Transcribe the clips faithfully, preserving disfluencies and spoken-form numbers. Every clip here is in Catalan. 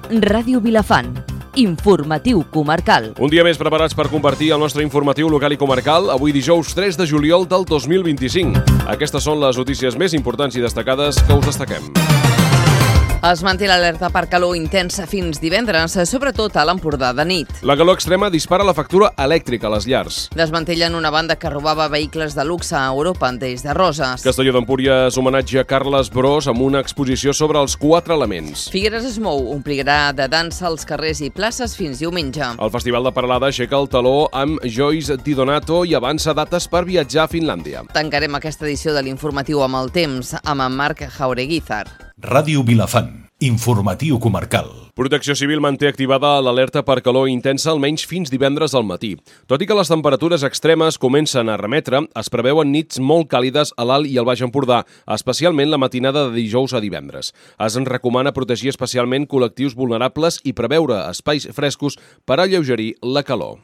Ràdio Vilafant. Informatiu comarcal. Un dia més preparats per compartir el nostre informatiu local i comarcal, avui dijous tres de juliol del dos mil vint-i-cinc. Aquestes són les notícies més importants i destacades que us destaquem. Es manté l'alerta per calor intensa fins divendres, sobretot a l'Empordà de nit. La calor extrema dispara la factura elèctrica a les llars. Desmantellen una banda que robava vehicles de luxe a Europa des de Roses. Castelló d'Empúries homenatge a Carles Bros amb una exposició sobre els quatre elements. Figueres es mou, omplirà de dansa als carrers i places fins diumenge. El Festival de Peralada aixeca el taló amb Joyce Di Donato i avança dates per viatjar a Finlàndia. Tancarem aquesta edició de l'informatiu amb el temps, amb en Marc Jaureguizar. Ràdio Vilafant. Informatiu comarcal. Protecció Civil manté activada l'alerta per calor intensa almenys fins divendres al matí. Tot i que les temperatures extremes comencen a remetre, es preveuen nits molt càlides a l'Alt i al Baix Empordà, especialment la matinada de dijous a divendres. Es recomana protegir especialment col·lectius vulnerables i preveure espais frescos per alleugerir la calor.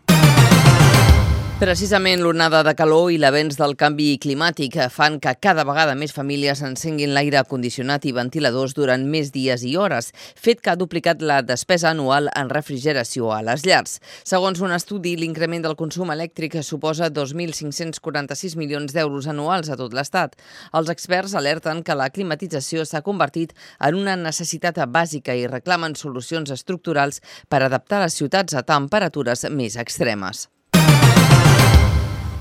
Precisament l'onada de calor i l'avenç del canvi climàtic fan que cada vegada més famílies encenguin l'aire condicionat i ventiladors durant més dies i hores, fet que ha duplicat la despesa anual en refrigeració a les llars. Segons un estudi, l'increment del consum elèctric suposa dos mil cinc-cents quaranta-sis milions d'euros anuals a tot l'Estat. Els experts alerten que la climatització s'ha convertit en una necessitat bàsica i reclamen solucions estructurals per adaptar les ciutats a temperatures més extremes.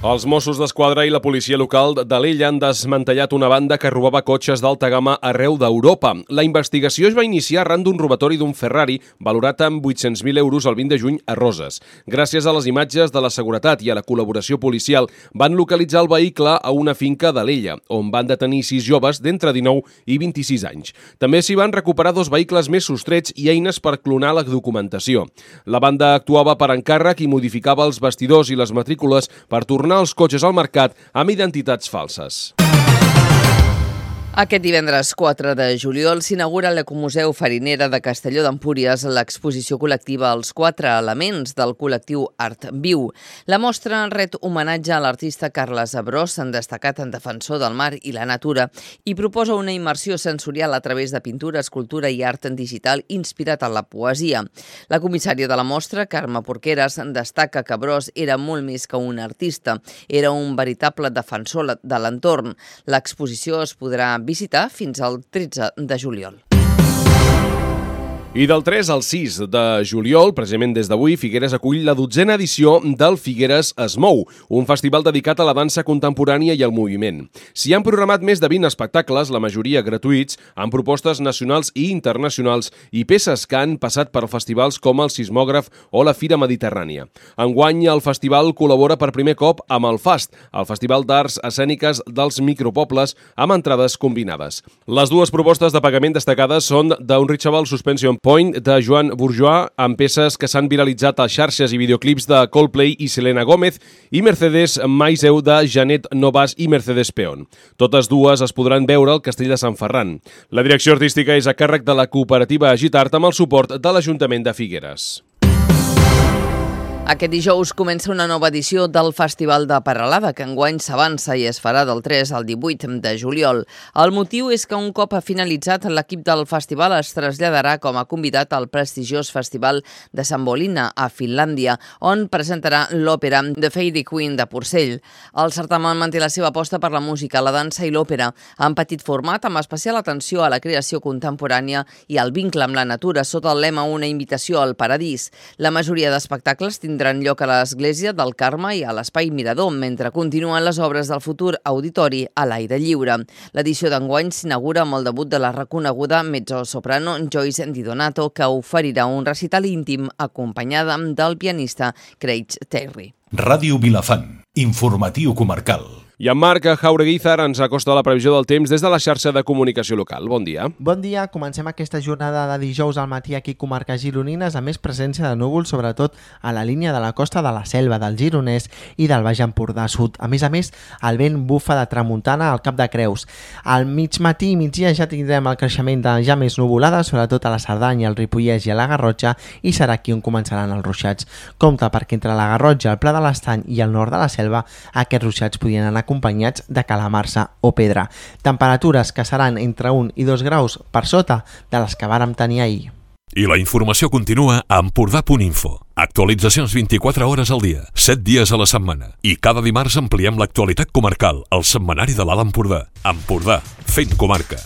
Els Mossos d'Esquadra i la policia local d'Alella han desmantellat una banda que robava cotxes d'alta gamma arreu d'Europa. La investigació es va iniciar arran d'un robatori d'un Ferrari valorat amb vuit-cents mil euros el vint de juny a Roses. Gràcies a les imatges de la seguretat i a la col·laboració policial, van localitzar el vehicle a una finca d'Alella, on van detenir sis joves d'entre dinou i vint-i-sis anys. També s'hi van recuperar dos vehicles més sostrets i eines per clonar la documentació. La banda actuava per encàrrec i modificava els bastidors i les matrícules per tornar els cotxes al mercat amb identitats falses. Aquest divendres quatre de juliol s'inaugura a l'Ecomuseu Farinera de Castelló d'Empúries l'exposició col·lectiva Els quatre elements del col·lectiu Art Viu. La mostra ret homenatge a l'artista Carles Bros, destacat en defensor del mar i la natura, i proposa una immersió sensorial a través de pintura, escultura i art digital inspirat en la poesia. La comissària de la mostra, Carme Porqueres, destaca que Bros era molt més que un artista, era un veritable defensor de l'entorn. L'exposició es podrà visitar fins al tretze de juliol. I del tres al sis de juliol, precisament des d'avui, Figueres acull la dotzena edició del Figueres es mou, un festival dedicat a la dansa contemporània i al moviment. S'hi han programat més de vint espectacles, la majoria gratuïts, amb propostes nacionals i internacionals i peces que han passat per festivals com el Sismògraf o la Fira Mediterrània. Enguany, el festival col·labora per primer cop amb el FAST, el Festival d'Arts Escèniques dels Micropobles, amb entrades combinades. Les dues propostes de pagament destacades són d'Unreachable Suspension Point de Joan Bourgeois, amb peces que s'han viralitzat a xarxes i videoclips de Coldplay i Selena Gómez, i Mercedes Maiseu de Janet Novas i Mercedes Peón. Totes dues es podran veure al Castell de Sant Ferran. La direcció artística és a càrrec de la cooperativa Agitart amb el suport de l'Ajuntament de Figueres. Aquest dijous comença una nova edició del Festival de Peralada, que enguany s'avança i es farà del tres al divuit de juliol. El motiu és que un cop ha finalitzat, l'equip del festival es traslladarà com a convidat al prestigiós Festival de Sambolina, a Finlàndia, on presentarà l'òpera The Fairy Queen de Porcell. El certamen manté la seva aposta per la música, la dansa i l'òpera, en petit format, amb especial atenció a la creació contemporània i al vincle amb la natura, sota el lema Una invitació al paradís. La majoria d'espectacles tindran tindran lloc a l'Església del Carme i a l'Espai Mirador, mentre continuen les obres del futur auditori a l'aire lliure. L'edició d'enguany s'inaugura amb el debut de la reconeguda mezzosoprano Joyce Di Donato, que oferirà un recital íntim acompanyada del pianista Craig Terry. Ràdio Vilafant. Informatiu comarcal. I en Marc Jaureguizar ens acosta la previsió del temps des de la xarxa de comunicació local. Bon dia. Bon dia. Comencem aquesta jornada de dijous al matí aquí a comarques gironines amb més presència de núvols, sobretot a la línia de la costa de la Selva, del Gironès i del Baix Empordà Sud. A més a més, el vent bufa de tramuntana al Cap de Creus. Al mig matí i migdia ja tindrem el creixement de ja més nuvolada, sobretot a la Cerdanya, el Ripollès i a la Garrotxa, i serà aquí on començaran els ruixats. Compte perquè entre la Garrotxa, el Pla de l'Estany i el nord de la Selva, aquests ruixats podien anar acompanyats de calamarsa o pedra. Temperatures que seran entre un i dos graus per sota de les que vàrem tenir ahir. I la informació continua a empordà punt info. Actualitzacions vint-i-quatre hores al dia, set dies a la setmana. I cada dimarts ampliem l'actualitat comarcal, al setmanari de l'Alt Empordà. Empordà, fent comarca.